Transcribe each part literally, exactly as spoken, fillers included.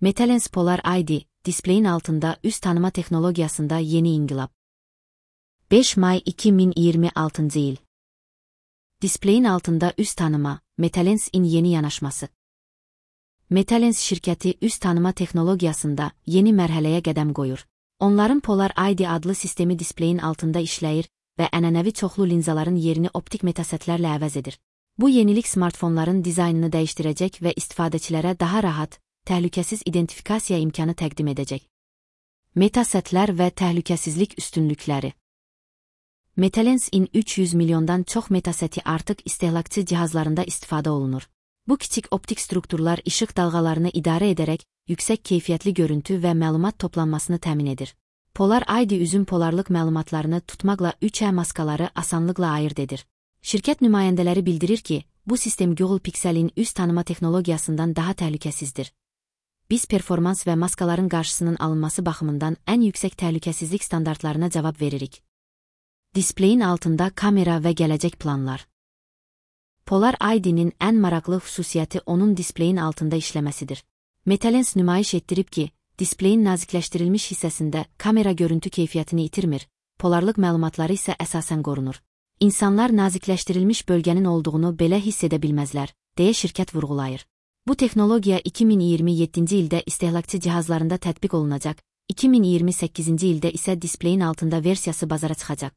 Metalens Polar I D, displeyin altında üz tanıma teknologiyasında yeni inqilab. beş May iki min iyirmi altıncı il. Displeyin altında üz tanıma, Metalens'in yeni yanaşması. Metalens şirkəti üz tanıma teknologiyasında yeni mərhələyə qədəm qoyur. Onların Polar I D adlı sistemi displeyin altında işləyir və ənənəvi çoxlu linzaların yerini optik metasetlərlə əvəz edir. Bu yenilik smartfonların dizaynını dəyişdirəcək və istifadəçilərə daha rahat, təhlükəsiz identifikasiya imkanı təqdim edəcək. Metasetlər və təhlükəsizlik üstünlükləri. Metalens-in üç yüz milyondan çox metaseti artıq istehlakçı cihazlarında istifadə olunur. Bu kiçik optik strukturlar işıq dalğalarını idarə edərək yüksək keyfiyyətli görüntü və məlumat toplanmasını təmin edir. Polar I D üzün polarlıq məlumatlarını tutmaqla üç E maskaları asanlıqla ayırd edir. Şirkət nümayəndələri bildirir ki, bu sistem Google Pixel'in üz tanıma texnologiyasından daha təhlükəsizdir. Biz performans və maskaların qarşısının alınması baxımından ən yüksək təhlükəsizlik standartlarına cavab veririk. Displeyin altında kamera və gələcək planlar. Polar I D'nin ən maraqlı xüsusiyyəti onun displeyin altında işləməsidir. Metalens nümayiş etdirib ki, displeyin nazikləşdirilmiş hissəsində kamera görüntü keyfiyyətini itirmir, polarlıq məlumatları isə əsasən qorunur. İnsanlar nazikləşdirilmiş bölgənin olduğunu belə hiss edə bilməzlər, deyə şirkət vurğulayır. Bu texnologiya iki min iyirmi yeddinci ildə istehlakçı cihazlarında tətbiq olunacaq, iki min iyirmi səkkizinci ildə isə displeyin altında versiyası bazara çıxacaq.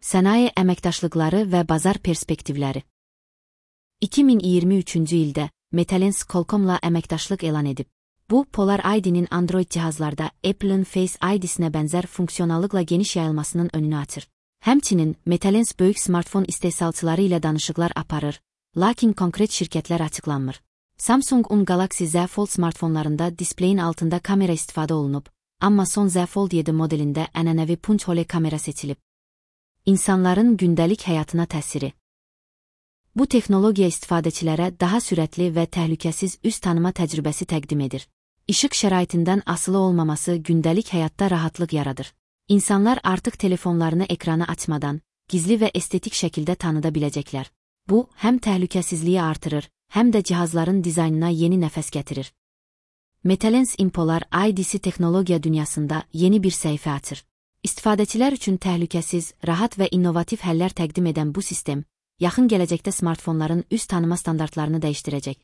Sənaye əməkdaşlıqları və bazar perspektivləri. iki min iyirmi üçüncü ildə Metalens Qualcomm'la əməkdaşlıq elan edib. Bu, Polar I D'nin Android cihazlarda Apple'ın Face I D'sinə bənzər funksionallıqla geniş yayılmasının önünü açır. Həmçinin, Metalens böyük smartfon istehsalçıları ilə danışıqlar aparır, lakin konkret şirkətlər açıqlanmır. Samsung-un Galaxy Z Fold smartfonlarında displeyin altında kamera istifadə olunub, amma son Z Fold yedi modelində ənənəvi punch hole kamera seçilib. İnsanların gündəlik həyatına təsiri. Bu texnologiya istifadəçilərə daha sürətli və təhlükəsiz üz tanıma təcrübəsi təqdim edir. İşıq şəraitindən asılı olmaması gündəlik həyatda rahatlıq yaradır. İnsanlar artıq telefonlarını ekranı açmadan, gizli və estetik şəkildə tanıda biləcəklər. Bu, həm təhlükəsizliyi artırır, həm də cihazların dizaynına yeni nəfəs gətirir. Metalens-in Polar I D'si texnologiya dünyasında yeni bir səhifə açır. İstifadəçilər üçün təhlükəsiz, rahat və innovativ həllər təqdim edən bu sistem, yaxın gələcəkdə smartfonların üz tanıma standartlarını dəyişdirəcək.